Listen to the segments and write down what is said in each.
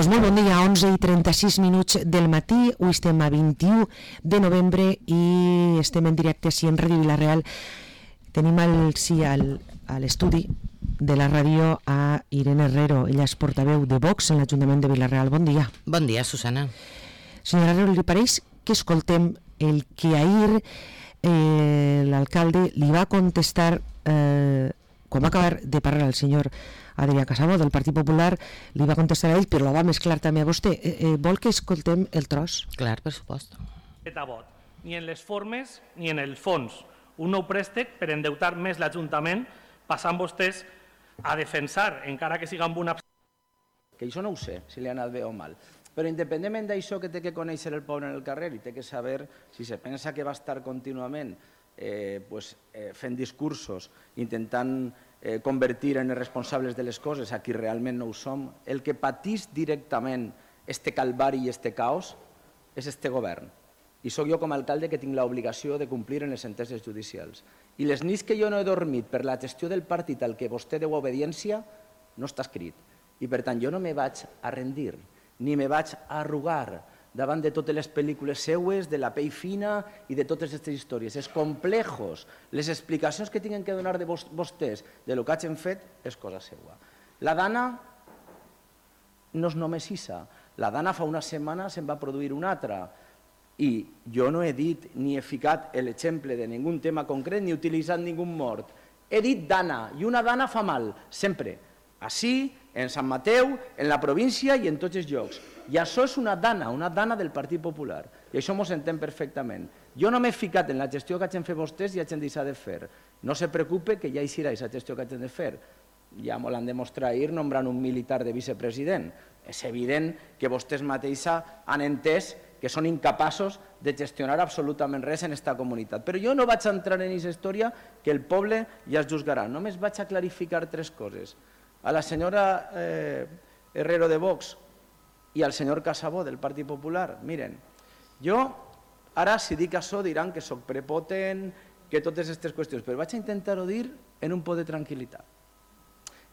Doncs molt bon dia, 11:36 del matí, avui estem a 21 de novembre i estem en directe així en Ràdio Vila-real. Tenim a l'estudi de la ràdio a Irene Herrero, ella és portaveu de Vox en l'Ajuntament de Vila-real. Bon dia. Bon dia, Susana. Senyora Herrero, li pareix que escoltem el que ahir l'alcalde li va contestar quan va acabar de parlar el senyor Adrià Casabó del Partit Popular, li va contestar a ell, però la va mesclar també a vostè. Vol que escoltem el tros? Clar, per supost. Ni en les formes ni en el fons. Un nou préstec per endeutar més l'Ajuntament, passant vostès a defensar, encara que siga amb una... Que això no ho sé, si li ha anat bé o mal. Però independentment d'això que té que conèixer el poble en el carrer i té que saber si se pensa que va estar contínuament fent discursos, intentant convertir en responsables de les coses a qui realment no ho som, el que patís directament este calvari i este caos és este govern. I sóc jo com a alcalde que tinc l'obligació de complir en les sentències judicials. I les nits que jo no he dormit per la gestió del partit al que vostè deu obediència no està escrit. I per tant jo no me vaig a rendir, ni me vaig a arrugar davant de totes les pel·lícules seues, de la pell fina i de totes aquestes històries. Els complexos, les explicacions que tinguin que donar de vostès de lo que hagin fet és cosa seua. La Dana no és només Issa. La Dana fa una setmana se'n va produir una altra. I jo no he dit ni he ficat l'exemple de ningú tema concret ni he utilitzat ningú mort. He dit Dana, i una Dana fa mal, sempre. Així, en Sant Mateu, en la província i en tots els llocs. I això és una dana del Partit Popular. I això m'ho s'entén perfectament. Jo no m'he ficat en la gestió que hagin fet vostès i hagin deixat de fer. No se preocupe que ja hi serà aquesta gestió que hagin de fer. Ja m'ho l'han demostrat ahir nombrant un militar de vicepresident. És evident que vostès mateixa han entès que són incapaços de gestionar absolutament res en aquesta comunitat. Però jo no vaig entrar en aquesta història que el poble ja es juzgarà. Només vaig a clarificar tres coses. A la senyora Herrero de Vox i al senyor Casabó del Partit Popular, miren, jo ara si dic això diran que soc prepotent, que totes aquestes qüestions, però vaig a intentar-ho dir en un po de tranquil·litat.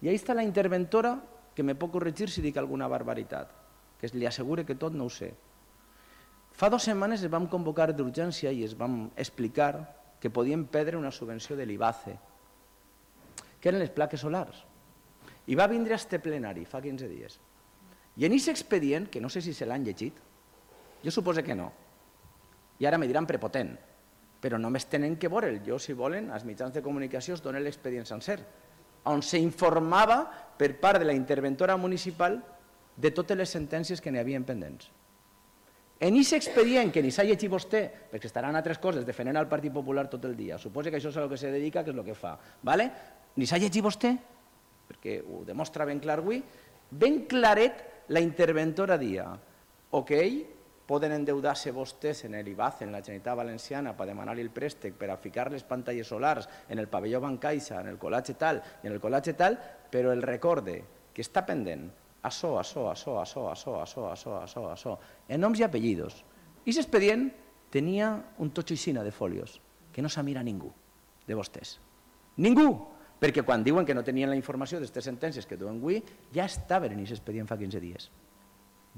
I ahí està la interventora que me pot corregir si dic alguna barbaritat, que li assegure que tot no ho sé. Fa 2 setmanes es vam convocar d'urgència i es vam explicar que podíem perdre una subvenció de l'IBACE, que eren les plaques solars. I va vindre a este plenari fa 15 dies. I en aquest expedient, que no sé si se l'han llegit, jo suposo que no, i ara me diran prepotent, però només tenen que veure'l. Jo, si volen, als mitjans de comunicació es donen l'expedient sencer, on s'informava per part de la interventora municipal de totes les sentències que n'hi havia pendents. En aquest expedient, que ni s'ha llegit vostè, perquè estaran altres coses defendent al Partit Popular tot el dia, suposo que això és a lo que se dedica, que és el que fa, ni s'ha llegit vostè, perquè ho demostra ben clar avui, ben claret la interventora dia, ok, poden endeudar-se vostès en l'IBACE, en la Generalitat Valenciana, per demanar-li el préstec, per a ficar les pantalles solars en el pavelló Bancaixa, en el col·latge tal i en el col·latge tal, però el recorde que està pendent això, en noms i apellidos. I aquest expedient tenia un totxo de folios, que no s'ha mirat ningú de vostès. Ningú! Perquè quan diuen que no tenien la informació d'aquestes sentències que duen avui, ja estaven en aquest expedient fa 15 dies.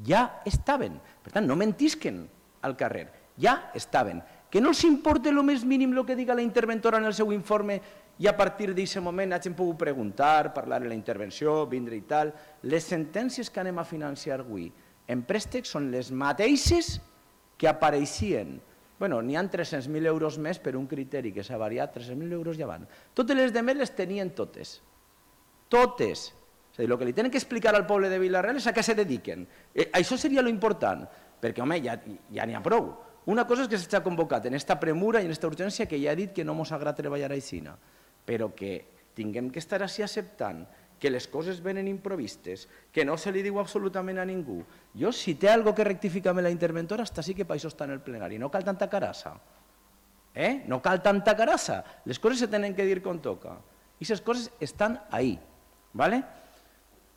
Ja estaven. Per tant, no mentisquen al carrer. Ja estaven. Que no els importa el més mínim el que diga la interventora en el seu informe i a partir d'aquest moment hagin pogut preguntar, parlar de la intervenció, vindre i tal. Les sentències que anem a financiar avui en préstecs són les mateixes que apareixien. Bueno, n'hi ha 300.000 euros més per un criteri que s'ha variat, 300.000 euros ja van. Totes les demés les tenien totes. Totes. És a dir, el que li tenen que explicar al poble de Vila-real és a què se dediquen. Això seria lo important, perquè, home, ja n'hi ha prou. Una cosa és que s'ha convocat en aquesta premura i en aquesta urgència que ja ha dit que no ens agrada treballar així, però que tinguem que estar així acceptant que les coses venen improvistes, que no se li diu absolutament a ningú. Jo, si té alguna cosa que rectificar amb la interventora, està sí que per això està en el plenari. No cal tanta carassa. No cal tanta carassa. Les coses se tenen que dir com toca. I aquestes coses estan ahí.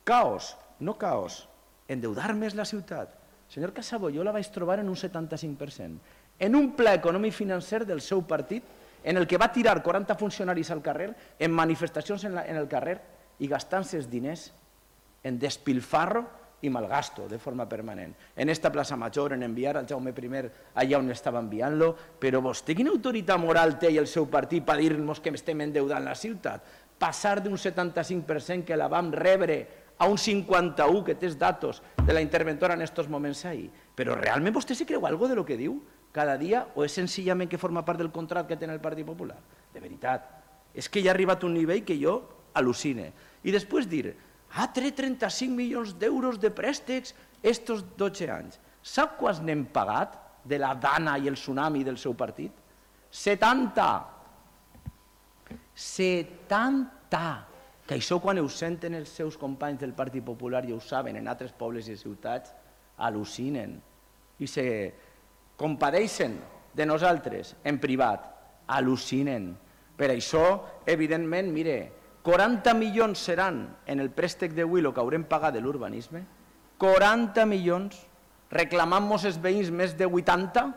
Caos, no caos. Endeudar més la ciutat. Senyor Casabó, jo la vaig trobar en un 75%. En un pla econòmic financer del seu partit, en el que va tirar 40 funcionaris al carrer, en manifestacions en el carrer, i gastant-se els diners en despilfarro i malgasto de forma permanent. En esta plaça Major, en enviar al Jaume I allà on estava enviant-lo, però vostè quina autoritat moral té i el seu partit per dir-nos que estem endeudant la ciutat? Passar d'un 75% que la vam rebre a un 51% que té els datos de la interventora en aquests moments ahir. Però realment vostè se creu alguna cosa de lo que diu cada dia o és senzillament que forma part del contracte que té el Partit Popular? De veritat, és que ja ha arribat un nivell que jo al·lucine. I després dir, té 35 milions d'euros de préstecs estos 12 anys. Sap quants n'hem pagat de la Dana i el tsunami del seu partit? 70! 70! Que això quan ho senten els seus companys del Partit Popular i ho saben en altres pobles i ciutats, al·lucinen i se compadeixen de nosaltres en privat, al·lucinen. Per això, evidentment, mire, 40 milions seran en el préstec d'avui el que haurem pagat de l'urbanisme, 40 milions, reclamant-nos els veïns més de 80,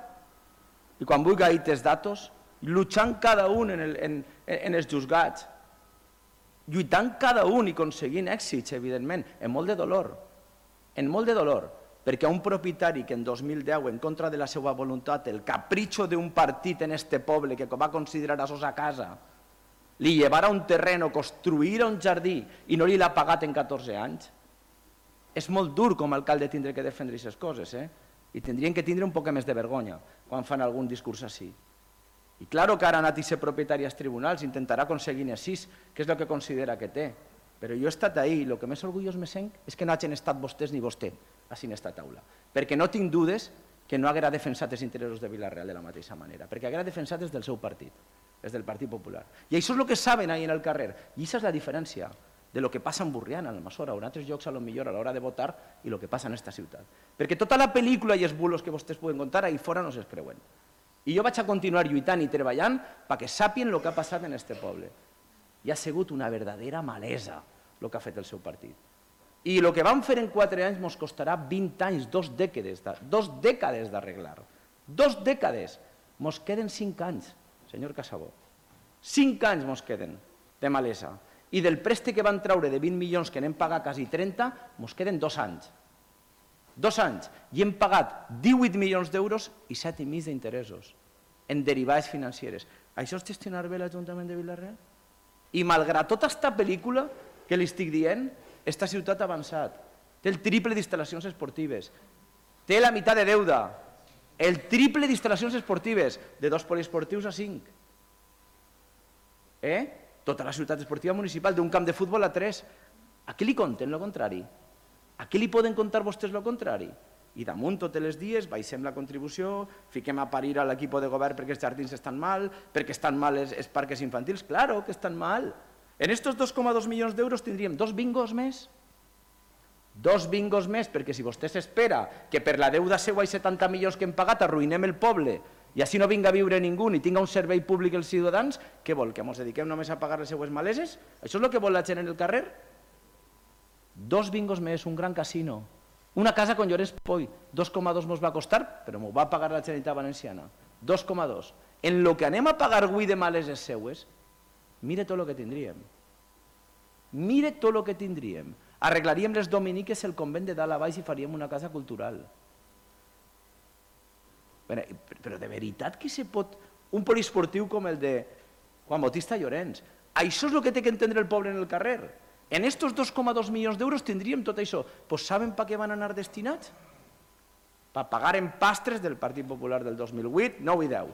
i quan vulgui ahir els datos, lluitant cada un en els juzgats, lluitant cada un i aconseguint èxits, evidentment, amb molt de dolor, perquè un propietari que en 2010, en contra de la seva voluntat, el capritxo d'un partit en este poble que va considerar a sa casa, li llevara un terreno, construïra un jardí i no li l'ha pagat en 14 anys, és molt dur com a alcalde tindre que defendre aquestes coses, i tindrien que tindre un poc més de vergonya quan fan algun discurs així. I clar que ara ha anat a ser propietari als tribunals, intentarà aconseguir així, que és el que considera que té. Però jo he estat ahí i el que més orgullós me sent és que no hagin estat vostès ni vostè així en aquesta taula. Perquè no tinc dudes que no haguera defensat els interessos de Vila-real de la mateixa manera, perquè haguera defensat des del seu partit, des del Partit Popular. I això és el que saben ahí en el carrer. I aquesta és la diferència de lo que passa en Burriana, en Almassora, o en altres llocs a lo millor a l'hora de votar i el que passa en aquesta ciutat. Perquè tota la pel·lícula i els bulos que vostès poden contar ahí fora no se'ls creuen. I jo vaig a continuar lluitant i treballant perquè sàpien el que ha passat en aquest poble. I ha sigut una verdadera malesa el que ha fet el seu partit. I el que vam fer en 4 anys ens costarà 20 anys, 2 dècades d'arreglar. 2 dècades. Ens queden 5 anys, senyor Casabó. 5 anys ens queden de malesa. I del préstec que van treure de 20 milions que n'hem pagat quasi 30, ens queden 2 anys. 2 anys. I hem pagat 18 milions d'euros i 7,5 d'interessos en derivades financeres. Això és gestionar bé l'Ajuntament de Vila-real? I malgrat tota aquesta pel·lícula que li estic dient, aquesta ciutat ha avançat. Té el triple d'instal·lacions esportives. Té la meitat de deuda. El triple d'instal·lacions esportives, de 2 poliesportius a 5. Tota la ciutat esportiva municipal, d'un camp de futbol a 3. A què li conten el contrari? A què li poden contar vostès el contrari? I damunt tots els dies baixem la contribució, fiquem a parir a l'equip de govern perquè els jardins estan mal, perquè estan mal els parcs infantils. Claro que estan mal. En estos 2,2 milions d'euros tindríem 2 bingos més. 2 bingos més, perquè si vostè s'espera que per la deuda seva i 70 milions que hem pagat arruïnem el poble i així no vinga a viure ningú ni tinga un servei públic els ciutadans, què vol? Que ens dediquem només a pagar les seues maleses? Això és el que vol la gent en el carrer? 2 bingos més, un gran casino, una casa con Llorenç Poi, 2,2 ens va costar, però m'ho va pagar la Generalitat Valenciana. 2,2. En lo que anem a pagar avui de maleses seues, mire tot el que tindríem. Mire tot el que tindríem. Arreglaríem les dominiques el convent de dalt a baix i faríem una casa cultural. Però de veritat que se pot... Un poliesportiu com el de Juan Bautista Llorenç. Això és el que té que entendre el poble en el carrer. En estos 2,2 milions d'euros tindríem tot això. Pues saben per què van anar destinats? Per pagar empastres del Partit Popular del 2008, 9 i 10.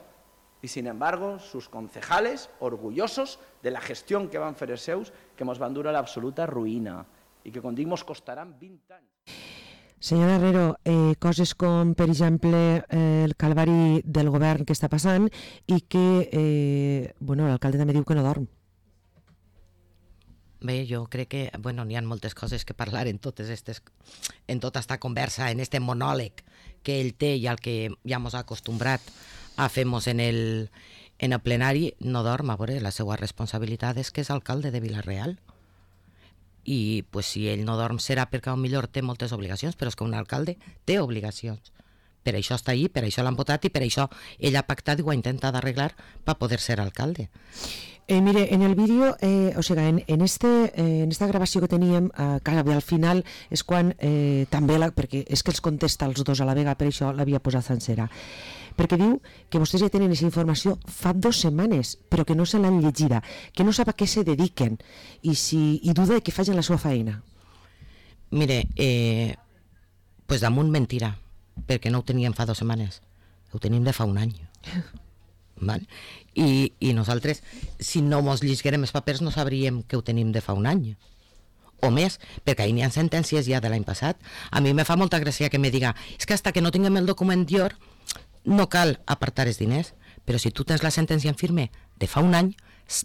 Y sin embargo, sus concejales, orgullosos de la gestión que van fer els seus, que ens van dur a l'absoluta ruïna i que, com dic, ens costaran 20 anys. Senyor Herrero, coses com, per exemple, el calvari del govern que està passant i que l'alcalde també diu que no dorm. Bé, jo crec que n'hi ha moltes coses que parlar en tota aquesta conversa, en aquest monòleg que ell té i al que ja ens ha acostumbrat a fer-nos en el plenari. No dorm, a veure, la seva responsabilitat és que és alcalde de Vila-real. I si ell no dorm serà perquè potser té moltes obligacions, però és que un alcalde té obligacions. Per això està ahí, per això l'han votat i per això ell ha pactat i ho ha intentat arreglar per poder ser alcalde. Mire, en el vídeo, o sigui, en esta gravació que teníem, que al final és quan també, perquè és que els contesta els dos a la vegada, per això l'havia posat sencera, perquè diu que vostès ja tenen aquesta informació fa 2 setmanes, però que no se l'han llegida, que no sap a què se dediquen i duda de que facin la seva feina. Mire, pues damunt mentira, perquè no ho teníem fa 2 setmanes, ho tenim de fa un any. Val? I nosaltres, si no mos llegirem els papers, no sabríem que ho tenim de fa un any o més, perquè ahir n'hi ha sentències ja de l'any passat. A mi me fa molta gràcia que me diga, és que hasta que no tinguem el document dior no cal apartar els diners, però si tu tens la sentència en firme de fa un any,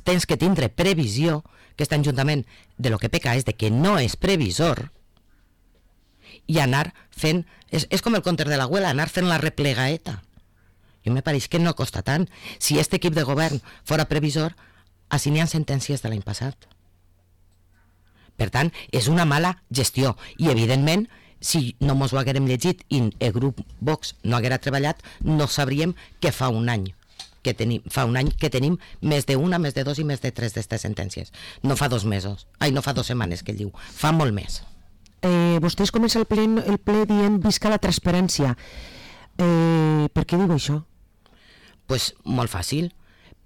tens que tindre previsió, que aquest Ajuntament de lo que peca és de que no és previsor, i anar fent, és com el conte de l'abuela, anar fent la replegaeta. Jo me pareix que no costa tant. Si aquest equip de govern fora previsor, així n'hi ha sentències de l'any passat. Per tant, és una mala gestió. I, evidentment, si no mos ho haguérem llegit i el grup Vox no haguera treballat, no sabríem que fa un any que tenim més d'una, més de 2 i més de 3 d'aquestes sentències. No fa 2 mesos. No fa 2 setmanes que ell diu. Fa molt més. Vostès comencen el ple dient visca la transparència. Per què diu això? Pues molt fàcil,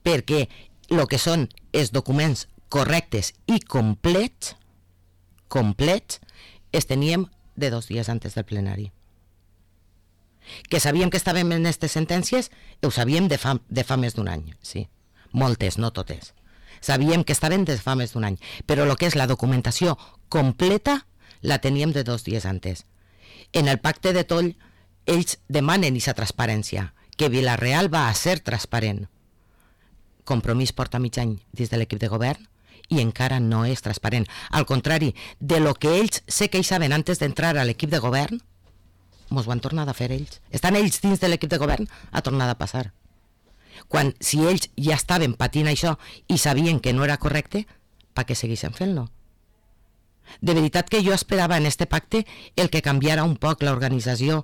perquè el que són els documents correctes i complets els teníem de 2 dies antes del plenari. Que sabíem que estàvem en aquestes sentències, ho sabíem de fa més d'un any, sí. Moltes, no totes. Sabíem que estaven de fa més d'un any, però el que és la documentació completa la teníem de 2 dies antes. En el pacte de Toll, ells demanen aquesta transparència, que Vila-real va a ser transparent. Compromís porta mig any dins de l'equip de govern i encara no és transparent. Al contrari, de lo que ells se queixaven antes d'entrar a l'equip de govern, mos ho han tornat a fer ells. Estan ells dins de l'equip de govern, ha tornat a passar. Quan, si ells ja estaven patint això i sabien que no era correcte, per què segueixen fent-lo? De veritat que jo esperava en este pacte el que canviara un poc l'organització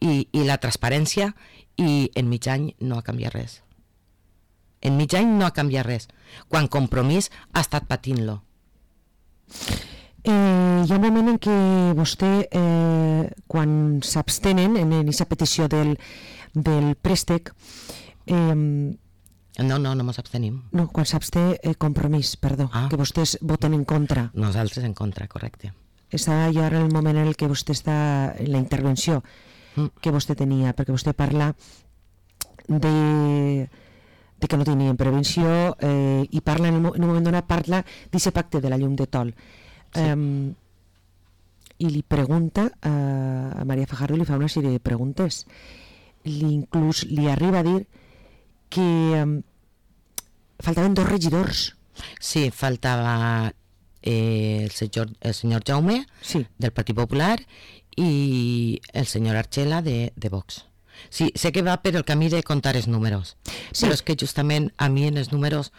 i la transparència, i en mig any no ha canviat res. En mig any no ha canviat res, quan Compromís ha estat patint-lo. Hi ha un moment en què vostè, quan s'abstenen en aquesta petició del préstec, No mos abstenim. No, quan s'absté Compromís, perdó, que vostès voten en contra. Nosaltres en contra, correcte. Està ja ara el moment en el que vostè està en la intervenció que vostè tenia, perquè vostè parla de que no tenien prevenció i parla en un moment donat parla d'aquest pacte de la llum de Tol. I li pregunta a María Fajardo, li fa una sèrie de preguntes. Inclús li arriba a dir que faltaven 2 regidors. Sí, faltava el senyor Jaume, sí, del Partit Popular, i el senyor Archela de Vox. Sí, sé que va per el camí de contar els números, sí. Però és que justament a mi en els números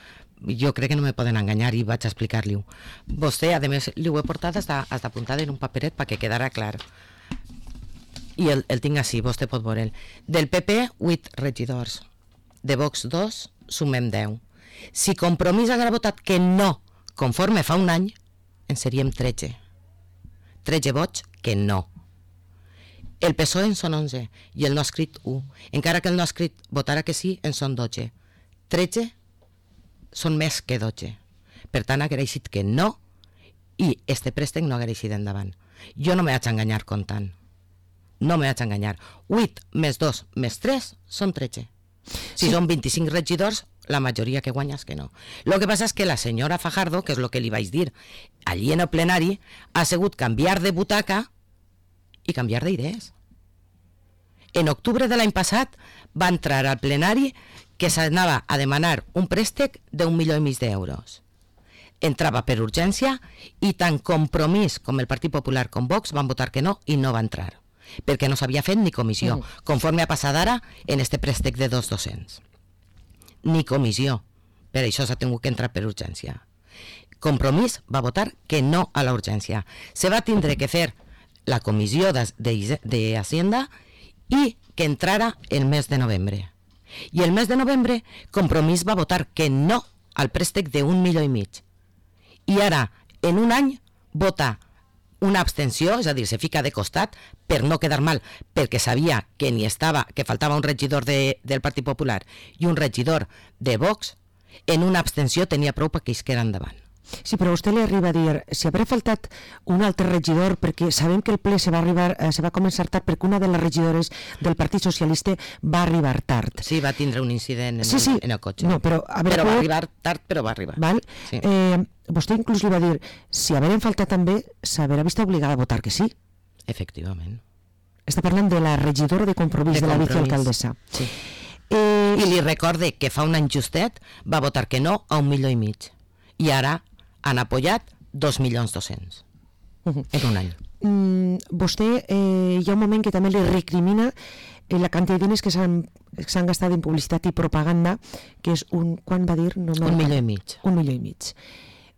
jo crec que no me poden enganyar i vaig a explicar-li-ho. Vostè, a més, li ho he portat hasta apuntat en un paperet perquè quedara clar. I el tinc així, vostè pot veure'l. Del PP, 8 regidors. De Vox 2, sumem 10. Si Compromís haguera votat que no, conforme fa un any, en seríem 13. 13 vots que no. El PSOE en són 11 i el no escrit 1. Encara que el no escrit votara que sí, en són 12. 13 són més que 12. Per tant, haguera eixit que no i este préstec no haguera eixit endavant. Jo no me vaig enganyar comptant. No me vaig enganyar. 8 més 2 més 3 són 13. Si són 25 regidors, la majoria que guanya és que no. Lo que passa és que la senyora Fajardo, que és el que li vaig dir allí en el plenari, ha sigut canviar de butaca i canviar d'idees. En octubre de l'any passat va entrar al plenari que s'anava a demanar un préstec d'1,5 milió d'euros. Entrava per urgència i tant Compromís com el Partit Popular com Vox van votar que no i no va entrar, perquè no s'havia fet ni comissió, conforme ha passat ara en este préstec de 2.200. Ni comissió, per això s'ha tingut que entrar per urgència. Compromís va votar que no a la urgència. Se va tindre que fer la comissió d'Hacienda i que entrara el mes de novembre. I el mes de novembre Compromís va votar que no al préstec de 1,5 milions. I ara, en un any, vota una abstenció, és a dir, se fica de costat per no quedar mal, perquè sabia que ni estava, que faltava un regidor del Partit Popular i un regidor de Vox, en una abstenció tenia prou perquè isquera endavant. Sí, però vostè li arriba a dir, si haurà faltat un altre regidor, perquè sabem que el ple se va començar tard perquè una de les regidores del Partit Socialista va arribar tard. Sí, va tindre un incident en el cotxe. No, però va arribar tard, però va arribar. Val? Sí. Vostè inclús li va dir, si haurem faltat també, s'haurà vist obligada a votar que sí. Efectivament. Està parlant de la regidora de Compromís de la vicealcaldessa. Sí. I li recorde que fa un any justet va votar que no a 1,5 milions. I ara han apoyat 2.200.000 en un any. Vostè hi ha un moment que també li recrimina la quantitat de diners que s'han gastat en publicitat i propaganda, que és quan va dir? No, 1,5 milions. 1,5 milions.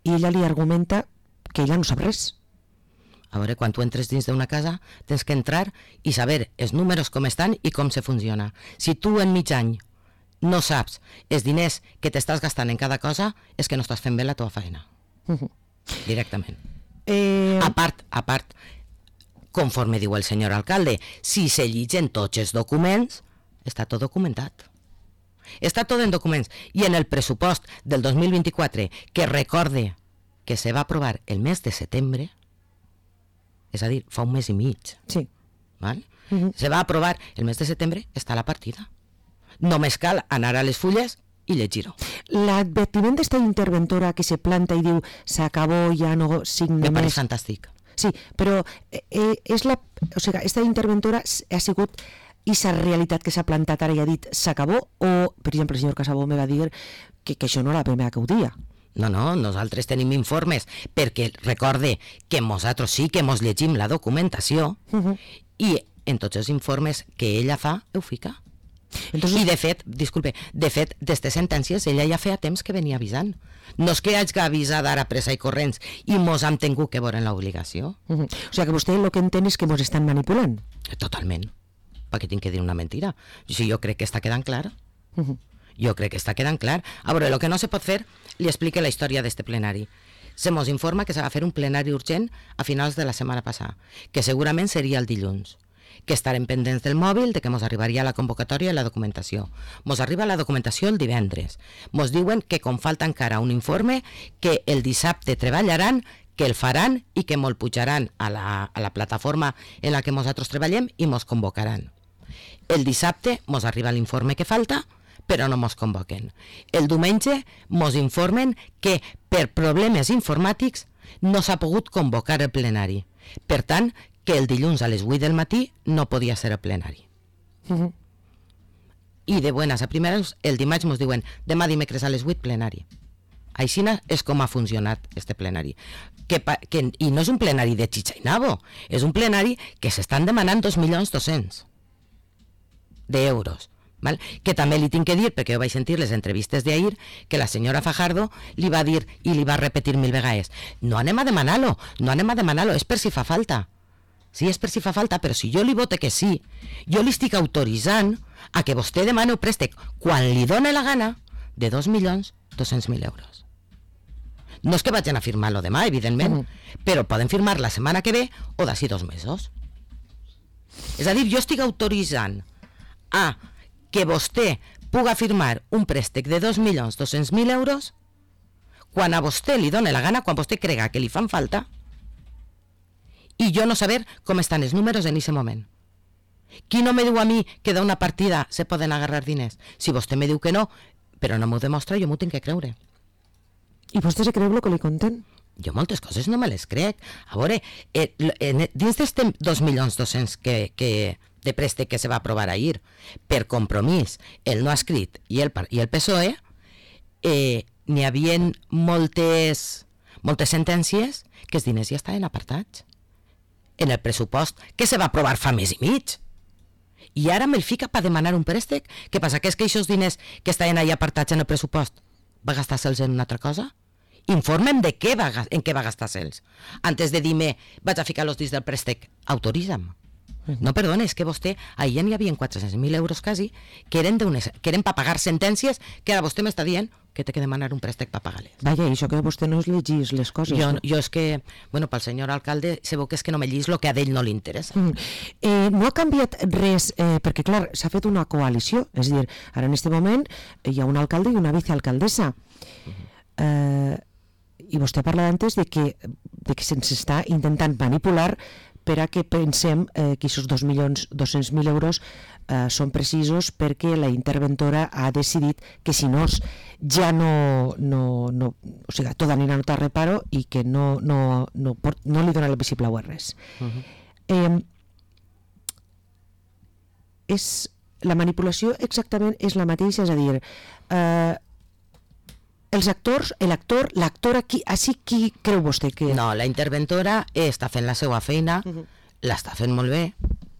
I ella li argumenta que ella no sap res. A veure, quan tu entres dins d'una casa tens que entrar i saber els números com estan i com se funciona. Si tu en mig any no saps els diners que t'estàs gastant en cada cosa, és que no estàs fent bé la teva feina. Directament. A part, conforme diu el senyor alcalde, si se llegeixen tots els documents, està tot documentat. Està tot en documents. I en el pressupost del 2024, que recorde que se va aprovar el mes de setembre, és a dir, fa un mes i mig. Sí. Val? Se va aprovar el mes de setembre, està la partida. Només cal anar a les fulles i llegir-ho. L'advertiment d'esta interventora que se planta i diu s'acabó, ja no signa Me pareix més. fantàstic. Sí, però esta interventora ha sigut aquesta realitat que s'ha plantat ara i ha dit s'acabó, o, per exemple, el senyor Casabó me va dir que això no era la primera que ho dia. No, nosaltres tenim informes, perquè recorde que nosaltres sí que mos llegim la documentació i en tots els informes que ella fa, ho fica. Entonces... I de fet, d'estes sentències ella ja feia temps que venia avisant. No és que hagi avisat ara pressa i corrents i mos hem tingut que veure en l'obligació. O sigui que vostè el que entén és que mos estan manipulant. Totalment. Perquè tinc que dir una mentira. Si jo crec que està quedant clar. Jo crec que està quedant clar. A veure, el que no se pot fer, li explique la història d'este plenari. Se mos informa que s'ha de fer un plenari urgent a finals de la setmana passada, que segurament seria el dilluns, que estarem pendents del mòbil, de que mos arribaria la convocatòria i la documentació. Mos arriba la documentació el divendres. Mos diuen que com falta encara un informe, que el dissabte treballaran, que el faran i que mos pujaran a la plataforma en la que nosaltres treballem i mos convocaran. El dissabte mos arriba l'informe que falta, però no mos convoquen. El diumenge mos informen que per problemes informàtics no s'ha pogut convocar el plenari. Per tant, que el dilluns a les 8 del matí no podia ser el plenari. I de buenas a primeres, el dimarts mos diuen demà dimecres a les 8 plenari. Així és com ha funcionat este plenari. I no és un plenari de xitxa i nabo, és un plenari que s'estan demanant 2.200.000 d'euros. Val? Que també li tinc que dir, perquè jo vaig sentir les entrevistes d'ahir, que la senyora Fajardo li va dir i li va repetir 1000 vegades, no anem a demanar-lo, és per si fa falta. Sí, és per si fa falta, però si jo li vote que sí, jo li estic autoritzant a que vostè demani un préstec quan li dóna la gana de 2.200.000 euros. No és que vagin a firmar-lo demà, evidentment, però poden firmar la setmana que ve o d'ací 2 mesos. És a dir, jo estic autoritzant a que vostè puga firmar un préstec de 2.200.000 euros quan a vostè li dóna la gana, quan vostè crega que li fan falta, i jo no saber com estan els números en aquest moment. Qui no me diu a mi que d'una partida se poden agarrar diners? Si vostè me diu que no, però no m'ho demostra, jo m'ho tinc que creure. I vostè se creu el que li conten? Jo moltes coses no me les crec. A veure, dins d'este 2.200.000 de préstec que se va aprovar ahir per Compromís, el no escrit i el PSOE, n'hi havia moltes sentències que els diners ja estaven apartats en el pressupost que se va aprovar fa mes i mig. I ara me'l fica per demanar un préstec? Què passa? Que és que aquests diners que estaven ahí apartats en el pressupost va gastar-se'ls en una altra cosa? Informa'm de en què va gastar-se'ls. Antes de dir-me vaig a ficar els dins del préstec, autoritza'm. No, perdona, és que vostè, ahir n'hi havia 400.000 euros quasi, que eren per pagar sentències, que ara vostè m'està dient que té que demanar un préstec per pagar-les. Vaja, això que vostè no es llegís les coses. Jo és que, bueno, pel senyor alcalde, se veu que és que no me llegís el que a ell no li interessa. No ha canviat res, perquè clar, s'ha fet una coalició, és a dir, ara en aquest moment hi ha un alcalde i una vicealcaldessa. I vostè parla antes de que se'ns està intentant manipular per a que pensem que aquests 2.200.000 euros són precisos perquè la interventora ha decidit que si no ja no o sigui, tot anirà a notar reparo i que no li dona el vistiplau a res. La manipulació exactament és la mateixa, és a dir, els actors, l'actor aquí, així qui creu vostè que... No, la interventora està fent la seva feina, l'està fent molt bé.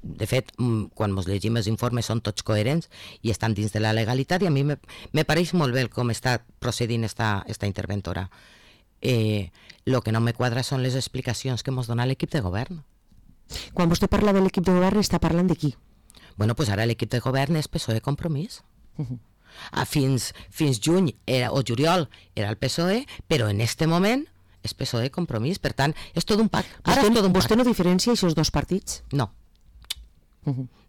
De fet, quan ens llegim els informes són tots coherents i estan dins de la legalitat, i a mi me pareix molt bé com està procedint esta interventora. El que no me quadra són les explicacions que ens dona l'equip de govern. Quan vostè parla de l'equip de govern, està parlant de qui? Bueno, pues ara l'equip de govern és PSOE Compromís. Fins juny o juliol era el PSOE, però en este moment és PSOE Compromís, per tant, és tot un pack. Vostè no diferencia aquests dos partits? No.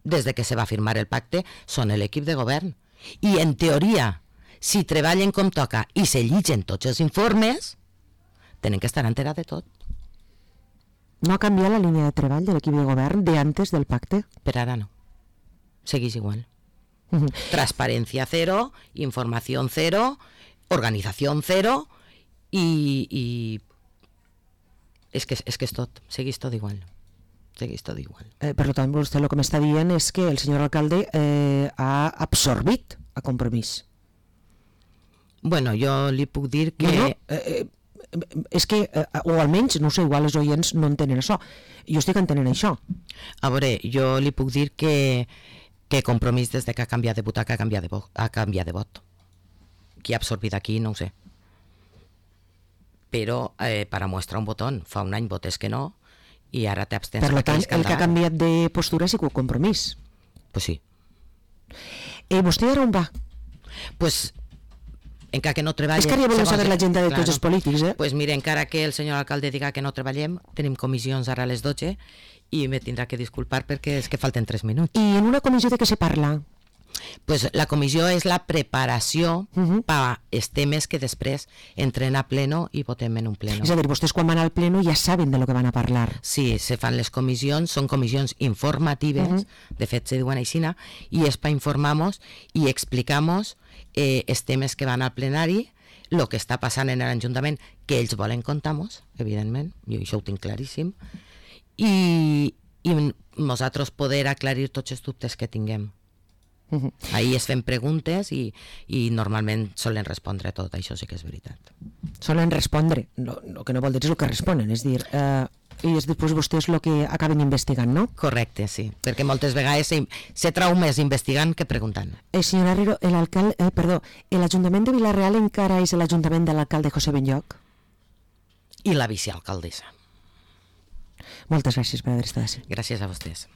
Des de que se va firmar el pacte són l'equip de govern. I en teoria, si treballen com toca i se llitgen tots els informes, tenen que estar enterats de tot. No ha canviat la línia de treball de l'equip de govern de antes del pacte? Per ara no. Seguís igual. Transparencia cero, información cero, organización cero y es que és tot, seguís tot igual. Per tant, vostè el que m'està dient és que el senyor alcalde ha absorbit a Compromís. Bueno, jo li puc dir que... És que, o almenys, no sé, igual els oients no entenen això. Jo estic entenent això. A veure, jo li puc dir que Compromís des que ha canviat de butaca ha canviat de vot. Qui ha absorbit aquí no ho sé. Però per a mostrar un botón, fa un any votes que no i ara t'abstens. Per tant, el que ha canviat de postura ha sigut Compromís. Pues sí. ¿Vostè ara on va? Pues encara que no treballem... És que ara ja volem saber l'agenda de tots els polítics, Pues mira, encara que el senyor alcalde diga que no treballem, tenim comissions ara a les 12 i me tindrà que disculpar perquè és que falten 3 minuts. I en una comissió de què se parla? Pues la comissió és la preparació per als temes que després entren a pleno i votem en un pleno. És a dir, vostès quan van al pleno ja saben de lo que van a parlar. Sí, se fan les comissions, són comissions informatives, de fet se diuen així, i és per informar-nos i explicar-nos els temes que van al plenari, el que està passant en l'Ajuntament, que ells volen contar-nos, evidentment, jo això ho tinc claríssim, i nosaltres poder aclarir tots els dubtes que tinguem. Ahir es fem preguntes i normalment solen respondre tot, això sí que és veritat. Solen respondre, el que no vol dir és el que responen, és dir, i després vostès el que acaben investigant, no? Correcte, sí, perquè moltes vegades se trau més investigant que preguntant. Senyor Herrero, l'Ajuntament de Vila-real encara és l'Ajuntament de l'alcalde José Benlloch? I la vicealcaldessa. Moltes gràcies per haver estat així. Gràcies a vostès.